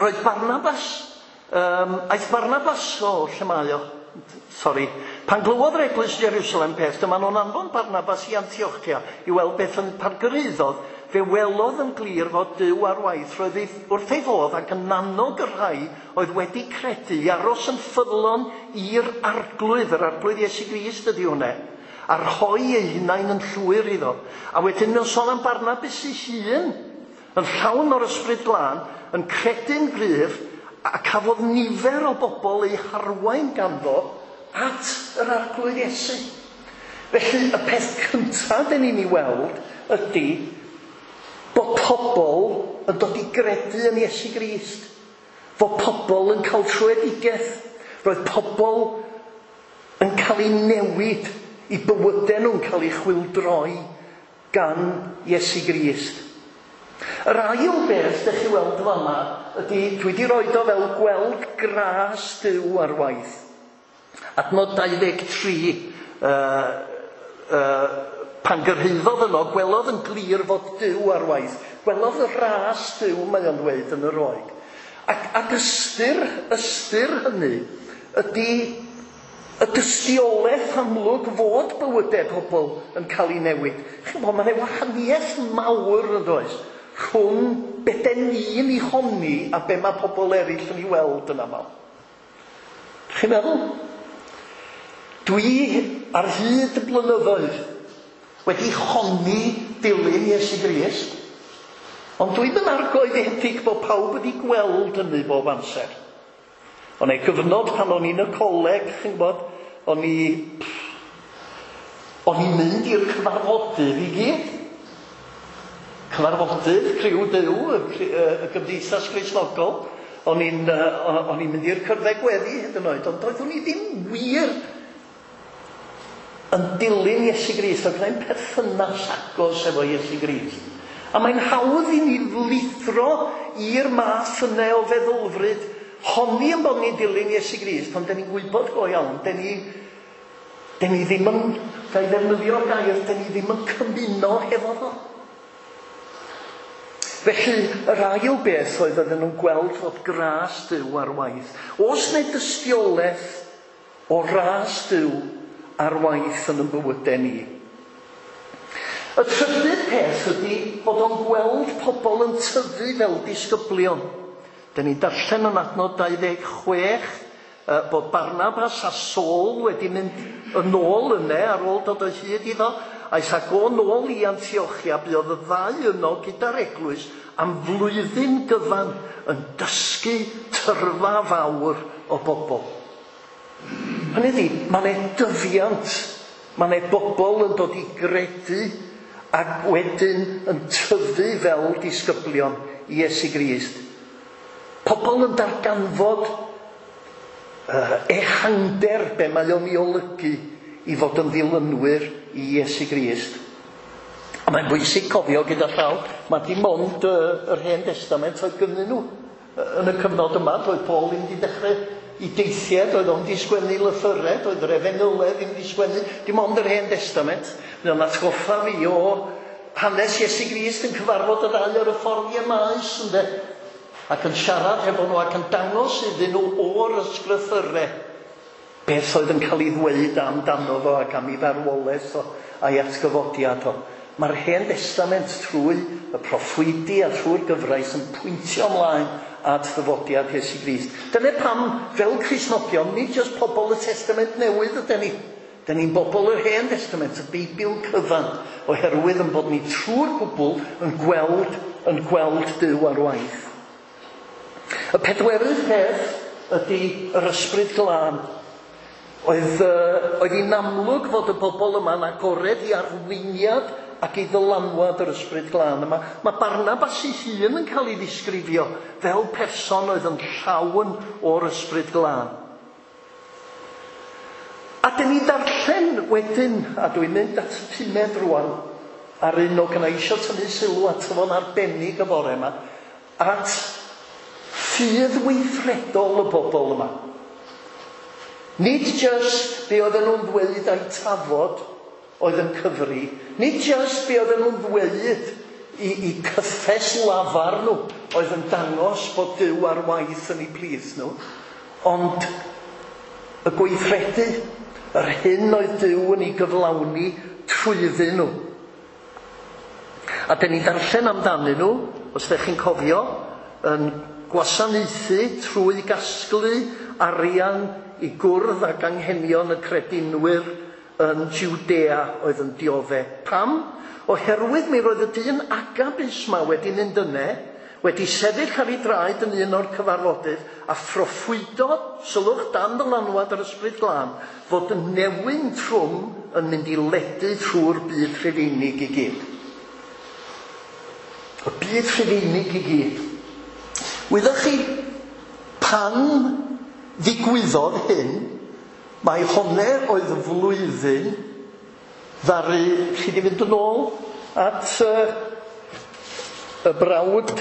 roedd Barnabas, aeth Barnabas, lle mae o? Sorry. Pan glywodd yr eglwys Jerusalem peth, dyma nhw'n anfon Barnabas i Antiochia i weld beth yn pan gyrhaeddodd, fe welodd yn glir fod Duw ar waith. Roedd wrth ei fodd ac yn annog y rhai oedd wedi credu i aros yn ffyddlon i'r Arglwydd, yr Arglwydd Iesu Grist ydy hwnna, a rhoi eu hunain yn llwyr iddo. A wedyn mewn sôn am Barnabas ei hun, yn llawn o'r Ysbryd Glân, yn credu'n gryf, a cafodd nifer o bobl eu harwain ganddo at yr Arglwydd Iesu. Felly, y peth cyntaf dyn ni'n ei weld ydy bod pobl yn dod i gredu yn Iesu Grist. Fod pobl yn cael tröedigaeth. Roedd pobl yn cael eu newid, i bywydau nhw'n cael eu chwyldroi gan Iesu Grist. Yr ail beth ydych chi weld fama ydy, dwi wedi roed o fel gweld gras Duw ar waith. Adnod 23, Pan gyrhaeddodd yno, gwelodd yn glir fod Duw ar waith. Gwelodd y ras Duw, mae o'n dweud yn y Roeg. Ac ystyr hynny ydy y dystiolaeth amlwg fod bywydau pobl yn cael ei newid. Chi'n gwybod, mae 'na wahaniaeth mawr yn does rhwng be den ni'n ei honni a be mae pobl eraill yn ei weld yn aml. Chi'n meddwl? Dwi ar hyd y blynyddoedd wedi honni dilyn Iesu Grist, ond dwi'm yn argoeddedig bod pawb wedi gweld hynny bob amser. O'n ei gyfnod pan o'n i'n y coleg, chi'n gwybod, o'n i'n mynd i'r cyfarfodydd i gyd. Cyfarfodydd, Criw Duw, y Gymdeithas Gristnogol. O'n i'n mynd i'r cyrddau gweddi hyd yn oed, ond doeddwn i ddim wir yn dilyn Iesu Grist, oedd gennai'm perthynas agos efo Iesu Grist. A mae'n hawdd i ni lithro i'r math yna o feddylfryd, honni yn bod ni'n dilyn Iesu Grist, ond den ni'n gwybod go iawn, den ni ddim yn, ga i ddefnyddio'r gair, den ni ddim yn cymuno hefo fo. Felly, yr ail beth oedd oedden nhw'n gweld fod gras Duw ar waith. Oes 'na dystiolaeth o ras Duw ar waith yn ein bywydau ni? Y trydydd peth ydy bod o'n gweld pobl yn tyfu fel disgyblion. Dyn ni'n darllen yn adnod 26 bod Barnabas a Saul wedi mynd yn ôl yna ar ôl dod o hyd iddo. Aeth ag o nôl i Antiochia, buodd y ddau yno gyda'r eglwys am flwyddyn gyfan yn dysgu tyrfa fawr o bobl. Hynny ydi, mae 'na dyfiant, mae 'na bobl yn dod i gredu ac wedyn yn tyfu fel disgyblion i Iesu Grist. Pobl yn darganfod ehangder be mae o'n ei olygu i fod yn ddilynwyr i Iesu Grist. A mae'n bwysig cofio gyda llaw, mae dim ond yr Hen Testament oedd gynnyn nhw. Yn y cyfnod yma, doedd Paul ddim wedi dechrau i deithiau, doedd o'n di sgwennu lythyrau, doedd yr Efengylau ddim wedi sgwennu, dim ond yr Hen Testament. Mae o'n atgoffa fi o hanes Iesu Grist yn cyfarfod y ddau ar y ffordd i Emmaus, ynde? Ac yn siarad hefo nhw ac yn dangos iddyn nhw o'r ysgrythyrau beth oedd yn cael ei ddweud amdano fo ac am ei farwolaeth o a'i atgyfodiad o. Mae'r Hen Testament trwy y proffwydi a trwy'r gyfraith yn pwyntio ymlaen at ddyfodiad Iesu Grist. Dyna pam, fel Cristnogion, nid jyst pobl y Testament Newydd ydyn ni. Dyn ni'n bobl yr Hen Testament, y Beibl cyfan, oherwydd yn bod ni trwy'r gwbl yn gweld Duw ar waith. Y pedwerydd peth ydy yr Ysbryd Glân. Oedd hi'n amlwg fod y bobl yma'n agored i arweiniad ac i ddylanwad yr Ysbryd Glân yma. Mae Barnabas ei hun yn cael ei ddisgrifio fel person oedd yn llawn o'r Ysbryd Glân. A dyn ni darllen wedyn, a dwi'n mynd at y pumed rwan, ar un o gynna eisiau tynnu sylw ato fo'n arbennig y bore yma, at ffydd weithredol y bobl yma. Nid jyst be oedden nhw'n ddweud a'i tafod oedd yn cyfri, nid jyst be oedden nhw'n ddweud i cyffes lafar nhw oedd yn dangos bod Duw ar waith yn eu plith nhw, ond y gweithredu, yr hyn oedd Duw yn ei gyflawni trwyddyn nhw. A dyn ni'n darllen amdanyn nhw, os ydych chi'n cofio, yn gwasanaethu trwy gasglu arian i gwrdd ag anghenion y credinwyr yn Judea oedd yn diodde. Pam? Oherwydd mi roedd y dyn Agabus ma wedi mynd yne, wedi sefyll ar ei draed yn un o'r cyfarfodydd a phroffwydo, sylwch, dan ddylanwad yr Ysbryd Glân, fod y newyn trwm yn mynd i ledu trwy'r byd Rhufeinig i gyd. Y byd Rhufeinig i gyd. Wyddoch chi, pan ddigwyddodd hyn, mae honne oedd y flwyddyn ddaru, chi di fynd yn ôl at y brawd,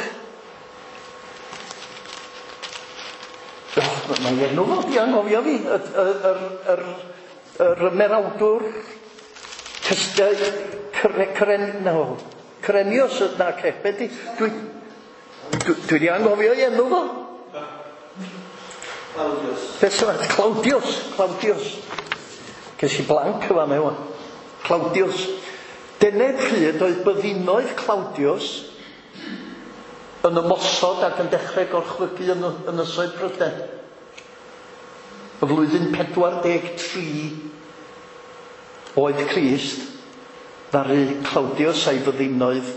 mae enw fo di anghofio fi, yr ymerawdwr Cyrenios, na, be di? Dwi wedi anghofio ei enw fo. Claudius. Beth sy'n Claudius. Ces i blank yma mewn. Claudius. Dyna pryd oedd byddinoedd Claudius yn ymosod ac yn dechrau gorchfygu yn ynysoedd Prydain. Y flwyddyn 43 oedd Crist, ddaru Claudius a'i fyddinoedd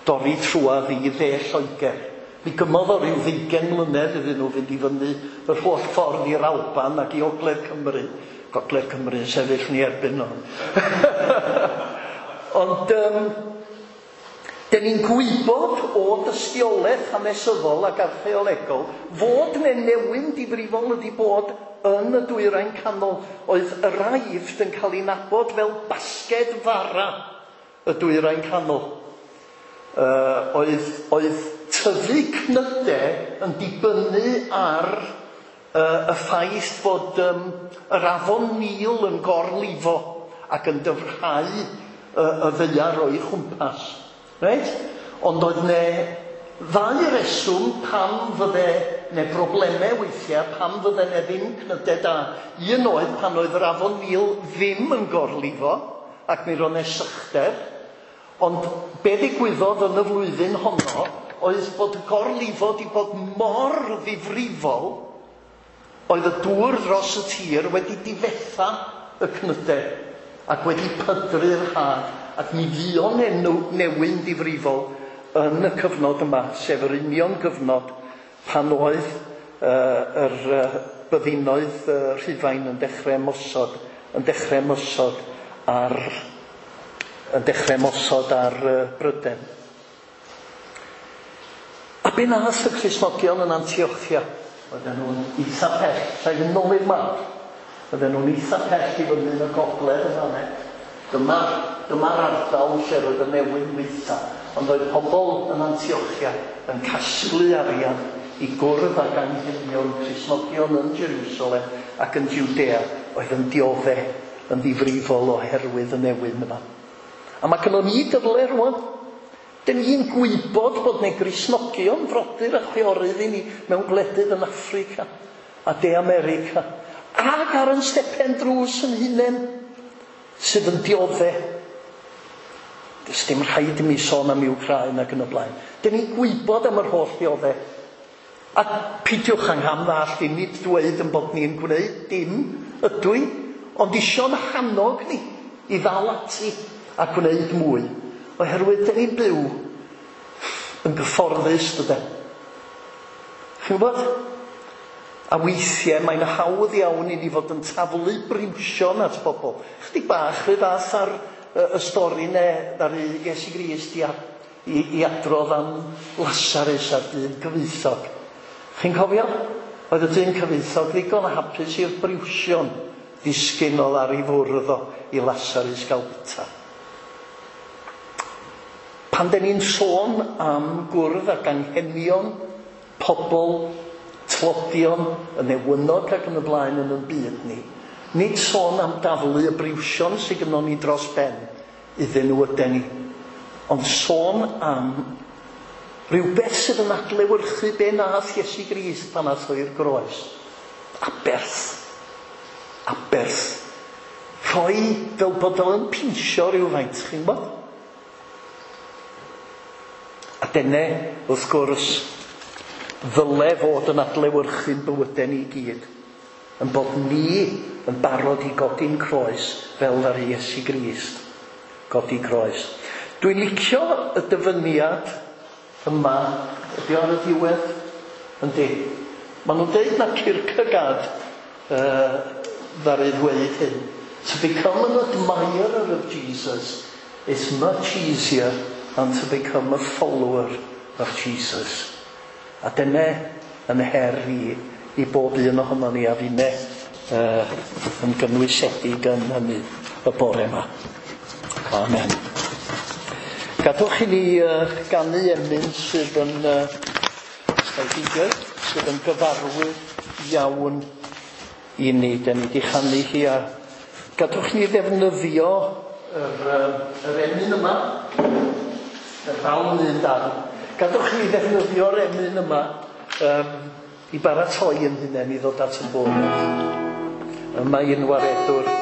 dorri trwadd i dde Lloegr. Mi gymodd o ryw 20 mlynedd iddyn nhw fynd i fyny yr holl ffordd i'r Alban ac i Ogledd Cymru. Gogledd Cymru yn sefyll ni erbyn nhw. Ond dyn ni'n gwybod o dystiolaeth hanesyddol ac archeolegol fod 'na newyn difrifol wedi bod yn y Dwyrain Canol. Oedd yr Aifft yn cael ei nabod fel basged fara y Dwyrain Canol. Oedd tyfu cnydau yn dibynnu ar y ffaith fod yr afon Nil yn gorlifo ac yn dyfrhau y ddaear o'i chwmpas. Reit? Ond oedd 'na ddau reswm pam fydde 'na broblemau weithiau, pam fydde 'na ddim cnydau da. Un oedd pan oedd yr afon Nil ddim yn gorlifo ac mi roedd 'na sychder. Ond be ddigwyddodd yn y flwyddyn honno oedd bod y gorlifo wedi bod mor ddifrifol, oedd y dŵr dros y tir wedi difetha y cnydau ac wedi pydru'r had, ac mi fuon newyn difrifol yn y cyfnod yma, sef yr union gyfnod pan oedd yr byddinoedd Rhufain yn dechrau ymosod ar Brydain. A be nath y Cristnogion yn Antiochia? Oedden nhw'n eitha pell, rhaid yn nôl i'r map. Oedden nhw'n eitha pell i fyny yn y gogledd yn fan'na. Dyma'r ardal lle roedd y newyn weitha. Ond oedd pobl yn Antiochia yn casglu arian i gwrdd ag anghenion Cristnogion yn Jerusalem ac yn Judea oedd yn diodde yn ddifrifol oherwydd y newyn yma. A mae gynnon ni gyfle rwan. Dyn ni'n gwybod bod 'na Gristnogion frodyr a chwiorydd i ni mewn gwledydd yn Affrica a De America ac ar yn stepen drws yn hunain sydd yn diodde. Does dim rhaid i mi sôn am Wcráin ac yn y blaen. Dyn ni'n gwybod am yr holl ddiodde. A peidiwch angham ddallt i nid dweud yn bod ni'n gwneud dim ydw i, ond isio'n hannog ni i ddal ati a gwneud mwy. Oherwydd dyn ni'n byw yn gyfforddus, dyden. Chi'n gwybod? A weithiau mae'n hawdd iawn i ni fod yn taflu briwsion at bobl. Chydig bach rhy fath ar y stori ne ddaru Iesu Grist i adrodd am Lasarus a'r dyn cyfoethog. Chi'n cofio? Oedd y dyn cyfoethog ddigon hapus i'r briwsion ddisgyn oedd ar ei fwrdd o i Lasarus gael bwyta. Pan dyn ni'n sôn am gwrdd ac anghenion pobl tlodion, y newynog ac yn y blaen yn y byd ni, nid sôn am daflu y briwsion sydd gynnon ni dros ben iddyn nhw yden ni, ond sôn am rhywbeth sydd yn adlewyrchu be nath Iesu Grist pan ath o i'r groes. Aberth. Aberth. Rhoi fel bod o'n pinsio rhywfaint, chi'n gwybod? A dyna, wrth gwrs, ddyle fod yn adlewyrchu'n bywydau ni gyd. Yn bod ni yn barod i godi'n croes fel ar Iesu Grist. Godi croes. Dwi'n licio y dyfyniad yma, ydy ar y diwedd? Yndi. Maen nhw'n deud na Kierkegaard ddaru ddweud hyn. To become an admirer of Jesus is much easier than to become a follower of Jesus. A dyna yn her i bob un ohono ni a finne yn gynwysedig yn hynny y bore yma. Amen. Gadwch i ni ganu emyn sydd yn sydd yn gyfarwydd iawn i ni. Dyn ni wedi chanu hi a gadwch ni ddefnyddio yr emyn yma, y ddawn un darn. Gadwch chi ddefnyddio'r emyn yma i baratoi yn hunain i ddod at y bwrdd. Yma un waredwr.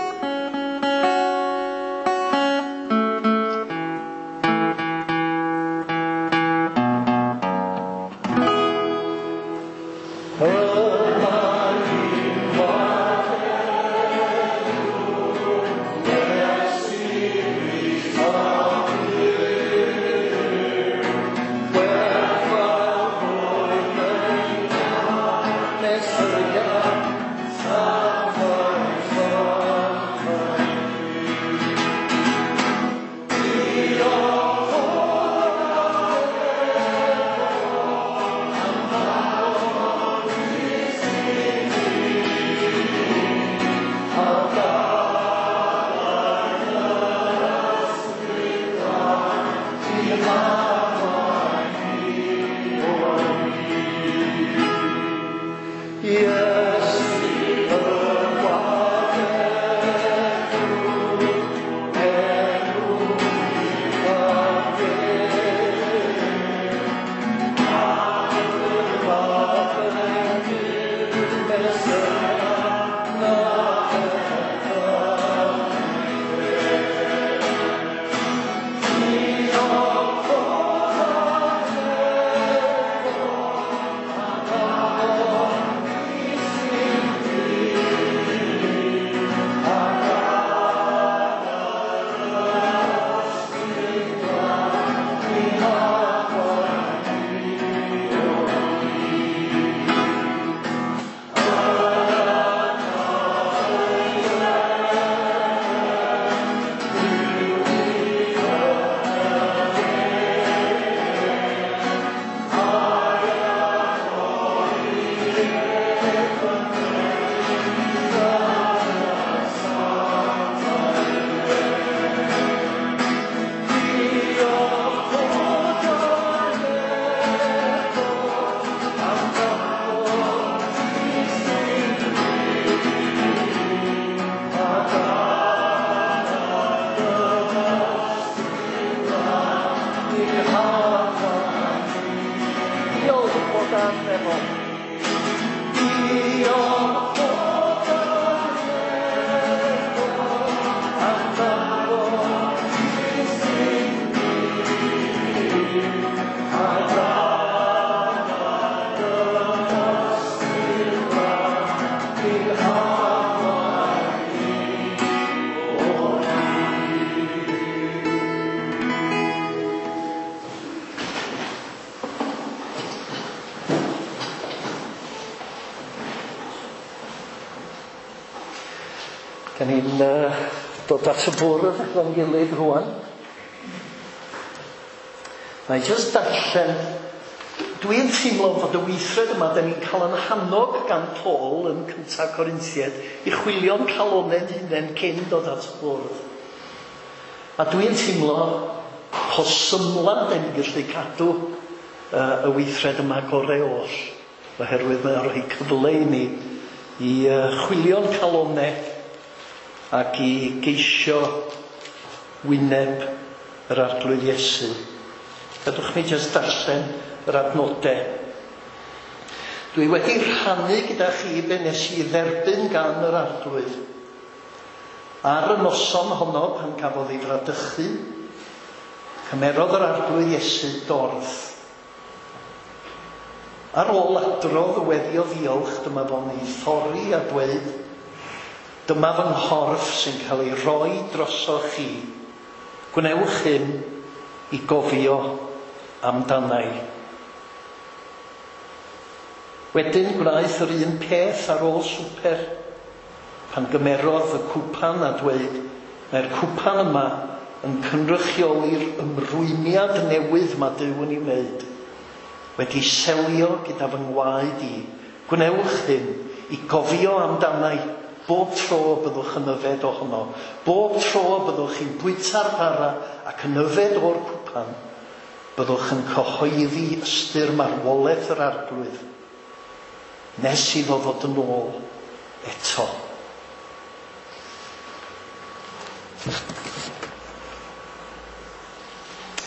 Da ni'n dod at y bwrdd efo'n gilydd rwan. Na i jyst darllen. Dwi'n teimlo fod y weithred yma, da ni'n cael yn hannog gan Paul yn cyntaf Corinthiaid i chwilio'n calonau'n hunain cyn dod at y bwrdd. A dwi'n teimlo po symla da ni'n gallu cadw y weithred yma gorau oll, oherwydd mae'n rhoi cyfle i ni i chwilio'n calonau ac i geisio wyneb yr Arglwydd Iesu. Gadwch mi jyst darllen yr adnodau. Dwi wedi rhannu gyda chi be nes i dderbyn gan yr Arglwydd. Ar y noson honno pan cafodd ei fradychu, cymerodd yr Arglwydd Iesu dorth. Ar ôl adrodd y weddi o ddiolch, dyma fo'n ei thorri a dweud, dyma fy nghorff sy'n cael ei roi drosoch chi. Gwnewch hyn i gofio amdanai. Wedyn gwnaeth yr un peth ar ôl swper, pan gymerodd y cwpan a dweud, mae'r cwpan yma yn cynrychioli'r ymrwymiad newydd mae Duw yn ei wneud. Wedi selio gyda fy ngwaed i, gwnewch hyn i gofio amdanai. Bob tro byddwch yn yfed ohono. Bob tro byddwch chi'n bwyta'r bara ac yn yfed o'r cwpan, byddwch yn cyhoeddi ystyr marwolaeth yr Arglwydd, nes iddo ddod yn ôl eto.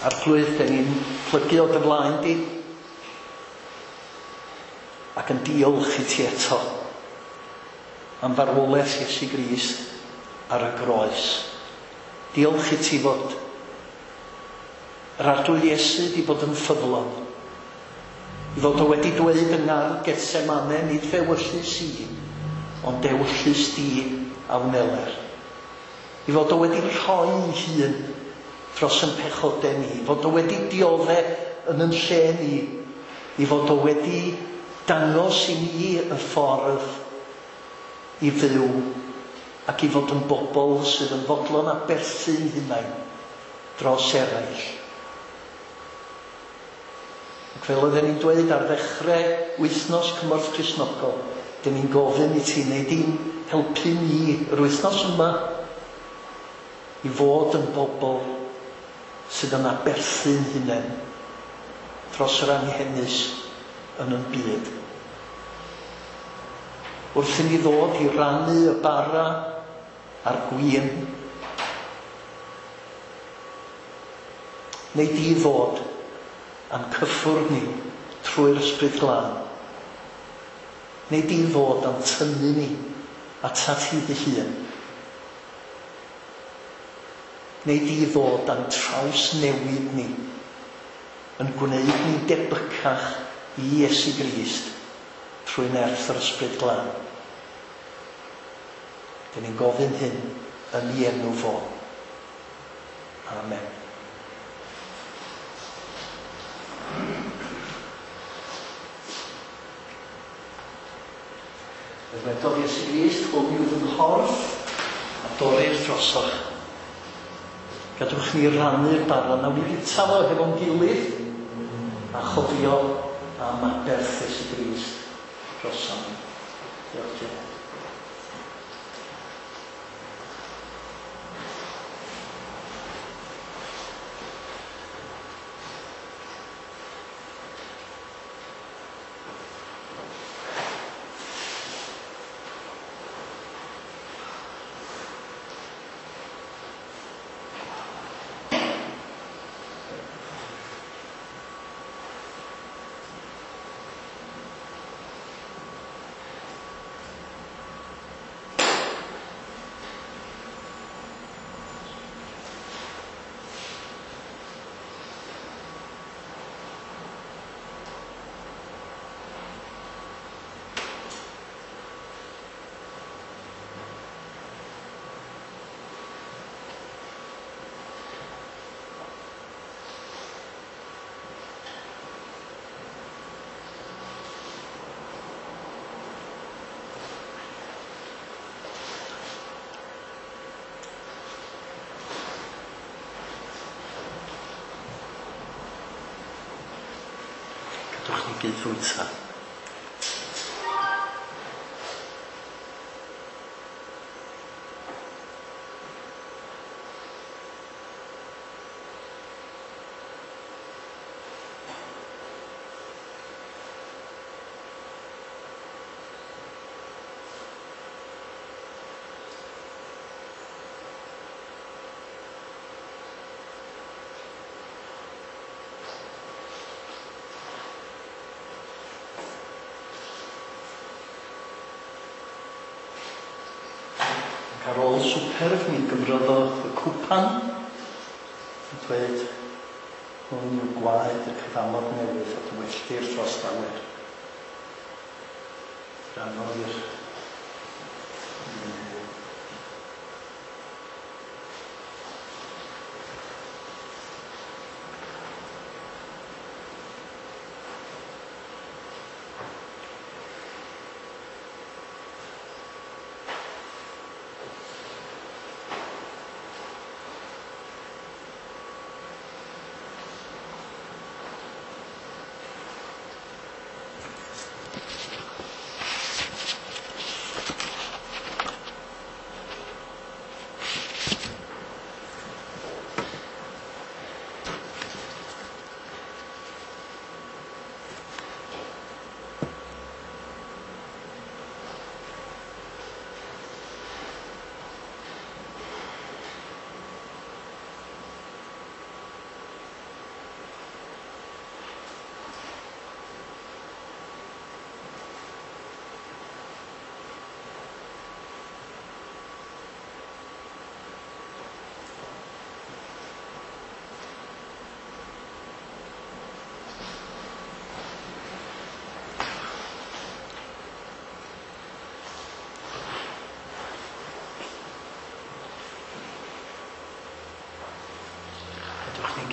Arglwydd, dan ni'n plygu o dy flaen di ac yn diolch i ti eto am farwolaeth Iesu Grist ar y groes. Diolch i ti fod yr Arglwydd Iesu di bod yn ffyddlon. I fod o wedi dweud yng ngardd Gethsemane, nid f'ewyllys i, ond ewyllys di a wneler. I fod o wedi rhoi ei hun dros yn pechodau ni, fod o wedi diodde yn yn lle ni, i fod o wedi dangos i ni y ffordd i fyw ac i fod yn bobl sydd yn fodlon aberthu'n hunain dros eraill. Ac fel oedden ni'n dweud ar ddechrau wythnos Cymorth Cristnogol, dyn ni'n gofyn i ti wneud i'n helpu ni yr wythnos yma i fod yn bobl sydd yn aberthu'n hunain dros yr anghenus yn yn byd. Wrth i ni ddod i rannu y bara a'r gwin, neu di ddod a'n cyffwrdd ni trwy'r Ysbryd Glân. Neu di ddod a'n tynnu ni atat ti dy hun. Neu di ddod a'n trawsnewid ni yn gwneud ni'n debycach i Iesu Grist trwy nerth yr Ysbryd Glân. Dyn ni'n gofyn hyn yn ei enw fo. Amen. Fe ddwedodd Iesu Grist, hwn yw fy nghorff a dorrir drosoch. Gadwch ni rannu'r bara, nawn ni fwyta fo hefo'n gilydd a chofio am aberth Iesu Grist drosom ni. Diolch, Janet. Gadwch ni gyd fwyta. Ar ôl swper, mi gymroddodd y cwpan yn dweud, hwn yw gwaed y cyfamod newydd a dywelltir dros lawer. Rhannodd i'r iddyn nhw.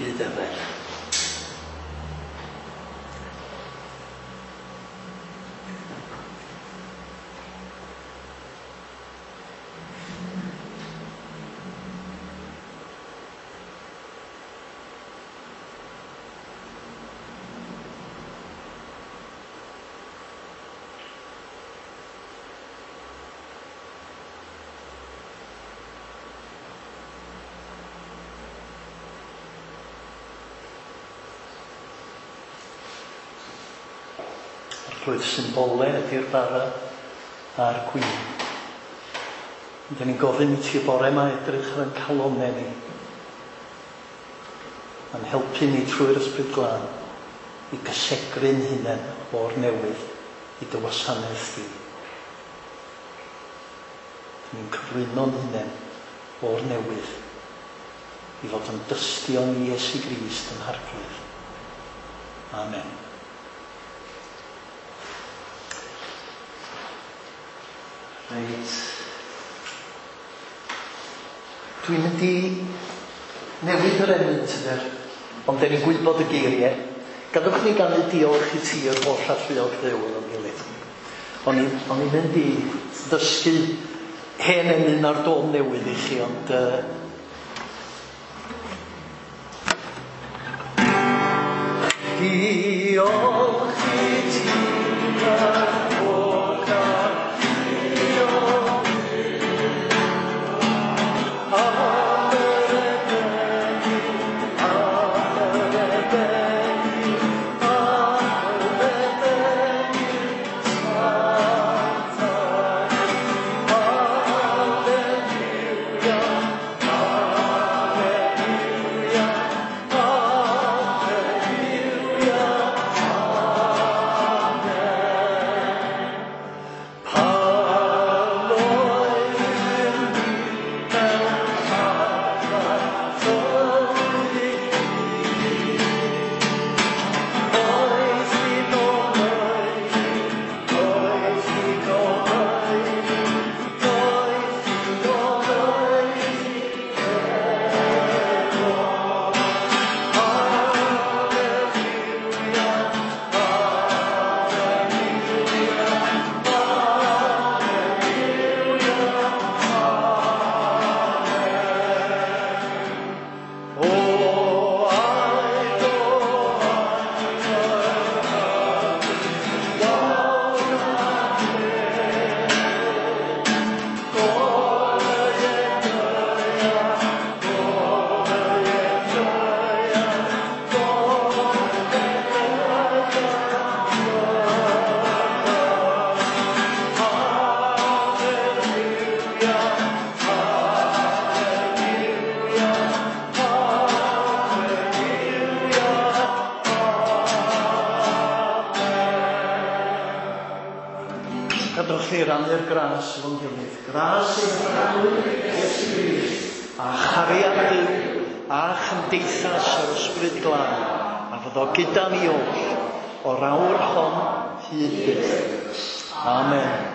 gyd eraill. Arglwydd, symbole ydy'r bara a'r gwin. Ond 'dan ni'n gofyn i ti y bore yma edrych ar ein calonnau ni, a'n helpu ni trwy'r Ysbryd Glân i gysegru'n hunain o'r newydd i dy wasanaeth di. 'Dan ni'n cyflwyno'n hunain o'r newydd i fod yn dystion i Iesu Grist yn Harglwydd. Amen. Reit. Dwi'n mynd i newid yr emyn tyder, ond 'dan ni'n gwybod y geiriau. Gadwch ni ganu diolch i ti yr holl alluog Dduw efo'n gilydd. O'n i'n mynd i ddysgu hen emyn ar dôn newydd i chi, ond diolch i ti yr holl alluog Dduw, am yr efengyl, am yr efengyl, am yr efengyl sanctaidd. Alleluia, alleluia, alleluia, amen. Pan oeddym ni mewn tadau tywydd, oes digon oedi, oes digon oedi, oes digon oedi eto. Alleluia, alleluia, alleluia, amen. O aed o Gadwch chi rannu'r gras efo'n gilydd. Gras ein Harglwydd Iesu Grist, a chariad Duw, a chymdeithas yr Ysbryd Glân, a fyddo gyda ni oll, o'r awr hon hyd byth. Amen.